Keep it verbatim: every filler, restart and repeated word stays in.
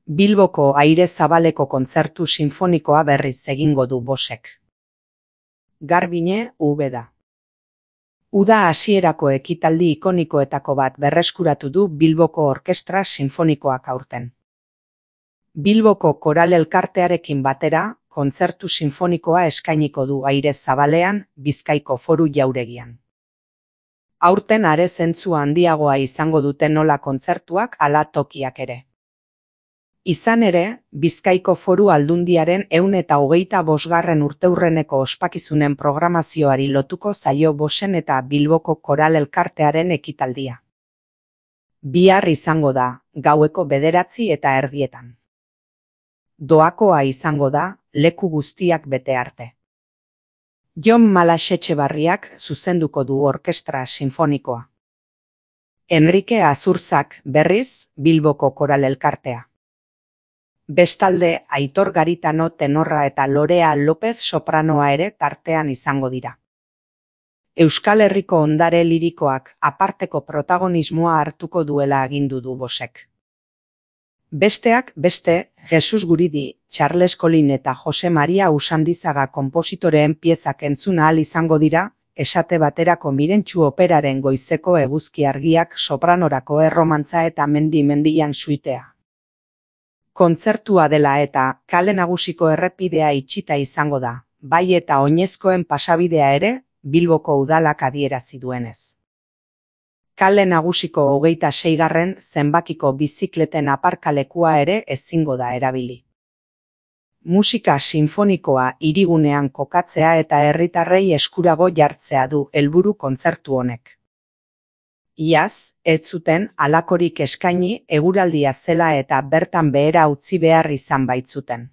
Bilboko Aire Zabaleko kontzertu sinfonikoa berriz egingo du Bosek. Garbine, Ubeda. Uda hasierako ekitaldi ikonikoetako bat berreskuratu du Bilboko Orkestra Sinfonikoak aurten. Bilboko Koral Elkartearekin batera, kontzertu sinfonikoa eskainiko du Aire Zabalean, Bizkaiko Foru Jauregian. Aurten are zentzu handiagoa izango dute nola kontzertuak ala tokiak ere. Izan ere, Bizkaiko Foru Aldundiaren ehun eta hogeita bosgarren urteurreneko ospakizunen programazioari lotuko zaio Bosen eta Bilboko Koral Elkartearen ekitaldia. Bihar izango da, gaueko bederatzi eta erdietan. Doakoa izango da, leku guztiak bete arte. Jon Malasetxebarriak zuzenduko du orkestra sinfonikoa. Enrique Azurzak, berriz, Bilboko Koral Elkartea. Bestalde, Aitor Garitano tenorra eta Lorea López sopranoa ere tartean izango dira. Euskal Herriko ondare lirikoak aparteko protagonismoa hartuko duela agindu du Bosek. Besteak beste, Jesus Guridi, Charles Colin eta Jose Maria Usandizaga konpositoreen piezak entzun ahal izango dira, esate baterako Mirentxu operaren goizeko eguzki argiak sopranorako erromantza eta mendi mendian suitea. Kontzertua dela eta Kale Nagusiko errepidea itxita izango da, bai eta oinezkoen pasabidea ere, Bilboko udalak adierazi duenez. Kale Nagusiko hogeita seigarren zenbakiko bizikleten aparkalekua ere ezingo da erabili. Musika sinfonikoa hirigunean kokatzea eta herritarrei eskurago jartzea du helburu kontzertu honek. Iaz, ez zuten halakorik eskaini eguraldia zela eta bertan behera utzi behar izan baitzuten.